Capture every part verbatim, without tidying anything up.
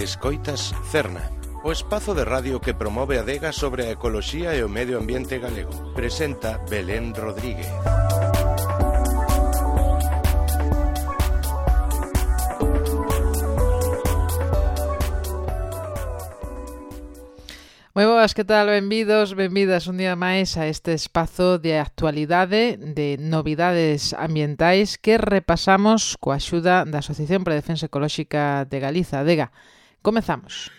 Escoitas Cerna, o espazo de radio que promove a adega sobre a ecoloxía e o medio ambiente galego. Presenta Belén Rodríguez. Moi boas, que tal? Benvidos, benvidas un día máis a este espazo de actualidade, de novidades ambientais que repasamos coa axuda da Asociación para a Defensa Ecolóxica de Galiza, ADEGA. Comezamos.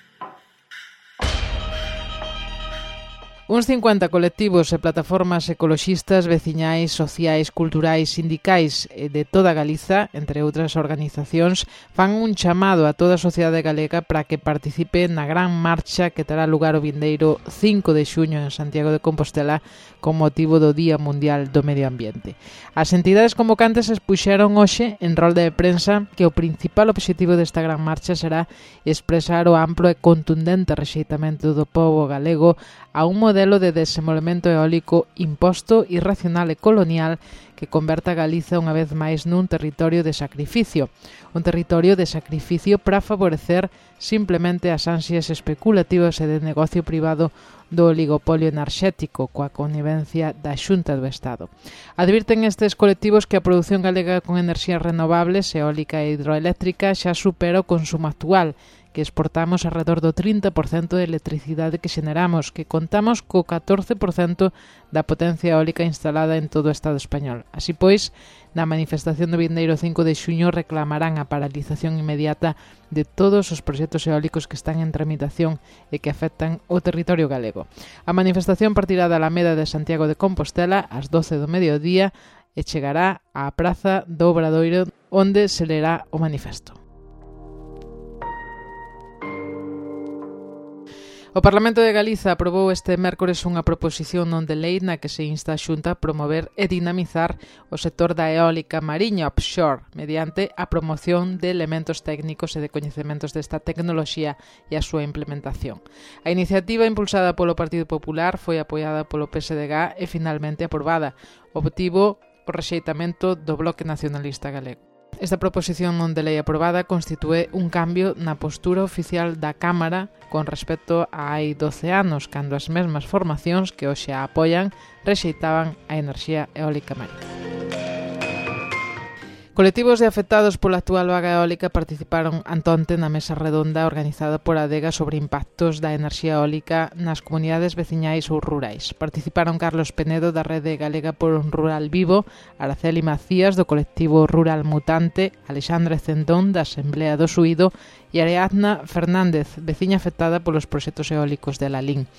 Uns cincuenta colectivos e plataformas ecoloxistas, veciñais, sociais, culturais, sindicais de toda Galiza, entre outras organizacións, fan un chamado a toda a sociedade galega para que participe na gran marcha que terá lugar o vindeiro cinco de xuño en Santiago de Compostela con motivo do Día Mundial do Medio Ambiente. As entidades convocantes expuxeron hoxe en rolda de prensa que o principal obxectivo desta gran marcha será expresar o amplo e contundente rexeitamento do pobo galego a un modelo de desenvolvemento eólico imposto, irracional e colonial que converta a Galiza unha vez máis nun territorio de sacrificio. Un territorio de sacrificio para favorecer simplemente as ansias especulativas e de negocio privado do oligopolio enerxético coa connivencia da Xunta do Estado. Advirten estes colectivos que a produción galega con enerxías renovables, eólica e hidroeléctrica xa supera o consumo actual, que exportamos alrededor do trinta por cento de electricidade que xeneramos, que contamos co catorce por cento da potencia eólica instalada en todo o Estado español. Así pois, na manifestación do vindeiro cinco de xuño reclamarán a paralización inmediata de todos os proxectos eólicos que están en tramitación e que afectan o territorio galego. A manifestación partirá da Alameda de Santiago de Compostela ás doce do mediodía e chegará á Praza do Obradoiro, onde se lerá o manifesto. O Parlamento de Galiza aprobou este mércores unha proposición non de lei na que se insta a Xunta a promover e dinamizar o sector da eólica mariña offshore mediante a promoción de elementos técnicos e de coñecementos desta tecnoloxía e a súa implementación. A iniciativa impulsada polo Partido Popular foi apoiada polo P S D G e finalmente aprobada. Obtivo o rexeitamento do Bloque Nacionalista Galego. Esta proposición non de lei aprobada constitúe un cambio na postura oficial da Cámara con respecto a hai doce anos, cando as mesmas formacións que hoxe a apoian rexeitaban a enerxía eólica marina. Colectivos de afectados pola actual vaga eólica participaron antonte na mesa redonda organizada por ADEGA sobre impactos da enerxía eólica nas comunidades veciñais ou rurais. Participaron Carlos Penedo da Rede Galega por un Rural Vivo, Araceli Macías do colectivo Rural Mutante, Alexandre Cendón da Asamblea do Suído e Ariadna Fernández, veciña afectada polos proxectos eólicos de Lalín.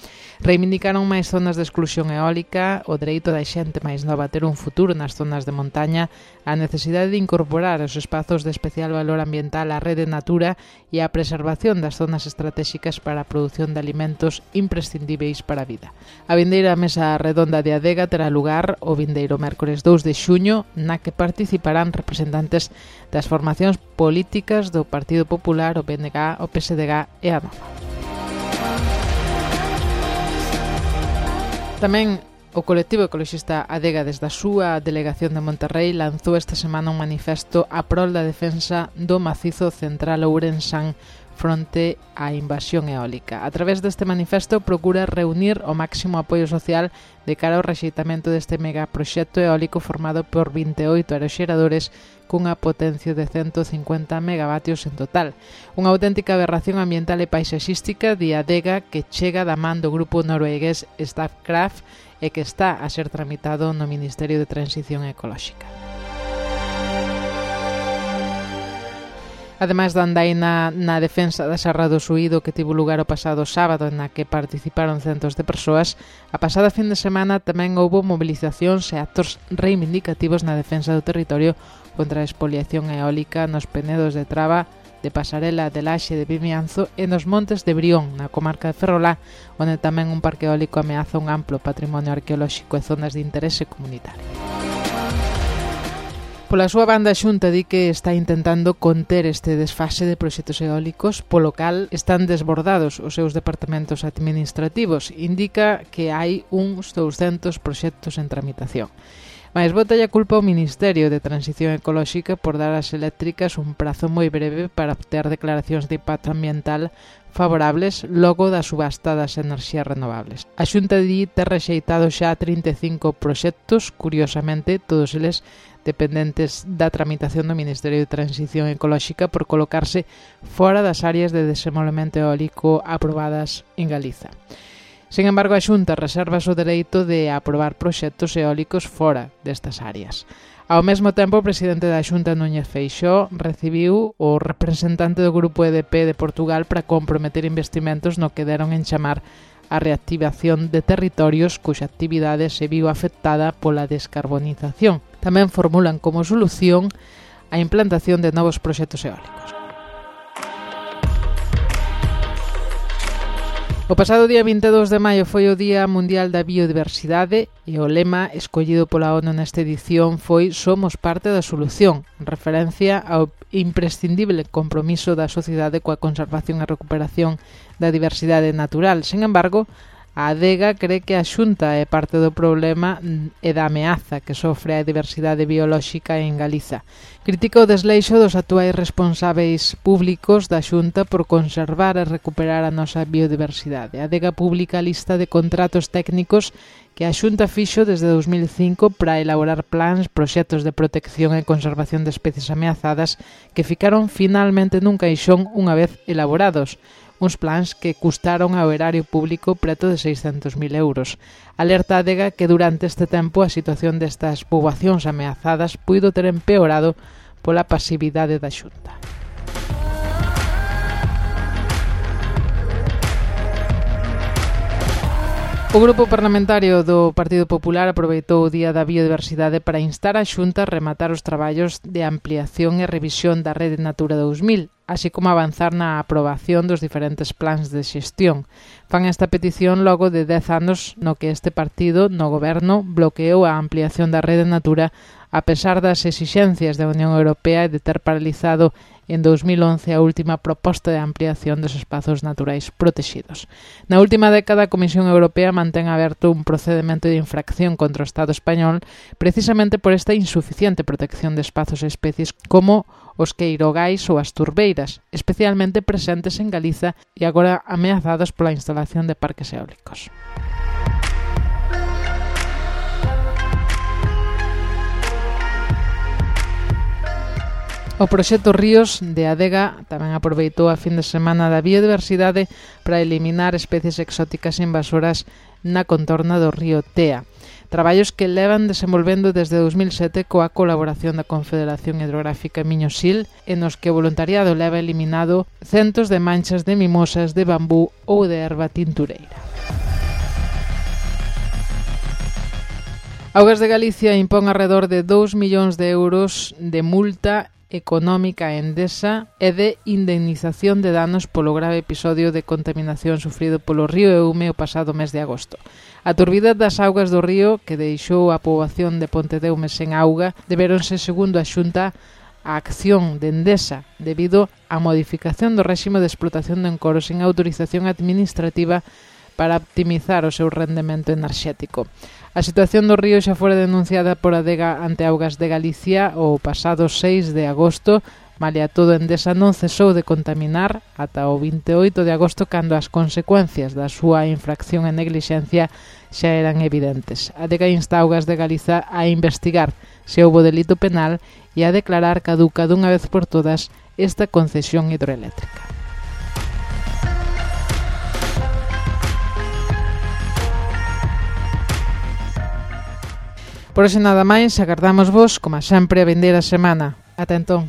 Reivindicaron máis zonas de exclusión eólica, o dereito da xente máis nova a ter un futuro nas zonas de montaña, a necesidade de incorporar os espazos de especial valor ambiental á rede Natura e a preservación das zonas estratégicas para a produción de alimentos imprescindíveis para a vida. A vindeira mesa redonda de ADEGA terá lugar o vindeiro mércores dous de xuño, na que participarán representantes das formacións políticas do Partido Popular, o P N G, o P S D G e a Nova. Tamén o colectivo ecoloxista ADEGA desde a súa delegación de Monterrey lanzou esta semana un manifesto a prol da defensa do macizo central ourensán fronte á invasión eólica. A través deste manifesto procura reunir o máximo apoio social de cara ao rexeitamento deste megaproxecto eólico formado por vinte e oito aeroxeradores cunha potencia de cento cincuenta megavatios en total. Unha auténtica aberración ambiental e paisaxística de ADEGA que chega da man do grupo noruegués Statkraft e que está a ser tramitado no Ministerio de Transición Ecolóxica. Ademais da andaina na defensa da Serra do Suído que tivo lugar o pasado sábado na que participaron centos de persoas, a pasada fin de semana tamén houbo movilizacións e actos reivindicativos na defensa do territorio contra a expoliación eólica nos penedos de Traba, de Pasarela, de Laxe, de Vimianzo e nos montes de Brión, na comarca de Ferrolá, onde tamén un parque eólico ameaza un amplo patrimonio arqueolóxico e zonas de interese comunitario. Pola súa banda, a Xunta di que está intentando conter este desfase de proxectos eólicos, polo cal están desbordados os seus departamentos administrativos. Indica que hai uns douscentos proxectos en tramitación. Mais bota a culpa ao Ministerio de Transición Ecolóxica por dar ás eléctricas un prazo moi breve para obter declaracións de impacto ambiental favorables logo da subasta das enerxías renovables. A Xunta di ter rexeitado xa trinta e cinco proxectos, curiosamente, todos eles dependentes da tramitación do Ministerio de Transición Ecolóxica por colocarse fora das áreas de desenvolvemento eólico aprobadas en Galiza. Sin embargo, a Xunta reserva o dereito de aprobar proxectos eólicos fora destas áreas. Ao mesmo tempo, o presidente da Xunta, Núñez Feixóo, recibiu o representante do Grupo E D P de Portugal para comprometer investimentos no que deron en chamar a reactivación de territorios cuxa actividade se viu afectada pola descarbonización. Tamén formulan como solución a implantación de novos proxectos eólicos. O pasado día vinte e dous de maio foi o Día Mundial da Biodiversidade e o lema escollido pola ONU nesta edición foi "Somos parte da solución", en referencia ao imprescindible compromiso da sociedade coa conservación e recuperación da diversidade natural. Sin embargo, a Adega cree que a Xunta é parte do problema e da ameaza que sofre a diversidade biolóxica en Galiza. Critica o desleixo dos actuais responsáveis públicos da Xunta por conservar e recuperar a nosa biodiversidade. A Adega publica a lista de contratos técnicos que a Xunta fixo desde dous mil cinco para elaborar plans, proxectos de protección e conservación de especies ameazadas que ficaron finalmente nun caixón unha vez elaborados. Uns plans que custaron ao erario público preto de seiscentos mil euros. Alerta a Adega que durante este tempo a situación destas poboacións ameazadas puido ter empeorado pola pasividade da Xunta. O Grupo Parlamentario do Partido Popular aproveitou o Día da Biodiversidade para instar a Xunta a rematar os traballos de ampliación e revisión da Rede Natura dous mil, así como avanzar na aprobación dos diferentes plans de xestión. Fan esta petición logo de dez anos no que este partido, no goberno, bloqueou a ampliación da Rede Natura a pesar das exixencias da Unión Europea e de ter paralizado en dous mil once a última proposta de ampliación dos espazos naturais protegidos. Na última década, a Comisión Europea mantén aberto un procedimento de infracción contra o Estado español precisamente por esta insuficiente protección de espazos e especies como os queirogais ou as turbeiras, especialmente presentes en Galiza e agora ameazados pola instalación de parques eólicos. O proxecto Ríos de Adega tamén aproveitou a fin de semana da biodiversidade para eliminar especies exóticas invasoras na contorna do río Tea. Traballos que levan desenvolvendo desde dous mil sete coa colaboración da Confederación Hidrográfica Miño-Sil, en os que o voluntariado leva eliminado centos de manchas de mimosas, de bambú ou de erva tintureira. Augas de Galicia impón arredor de dous millóns de euros de multa económica a Endesa e de indemnización de danos polo grave episodio de contaminación sufrido polo río Eume o pasado mes de agosto. A turbidez das augas do río, que deixou a poboación de Pontedeume sen auga, deberonse, segundo a Xunta, a acción de Endesa debido á modificación do réxime de explotación de encoros sen autorización administrativa para optimizar o seu rendemento enerxético. A situación do río xa fora denunciada por Adega ante Augas de Galicia o pasado seis de agosto, malia todo Endesa non cesou de contaminar ata o vinte e oito de agosto cando as consecuencias da súa infracción e neglixencia xa eran evidentes. Adega insta Augas de Galiza a investigar se houbo delito penal e a declarar caduca dunha vez por todas esta concesión hidroeléctrica. Por hoxe nada máis, agardamos vos, como sempre, a vindeira semana. Ata entón.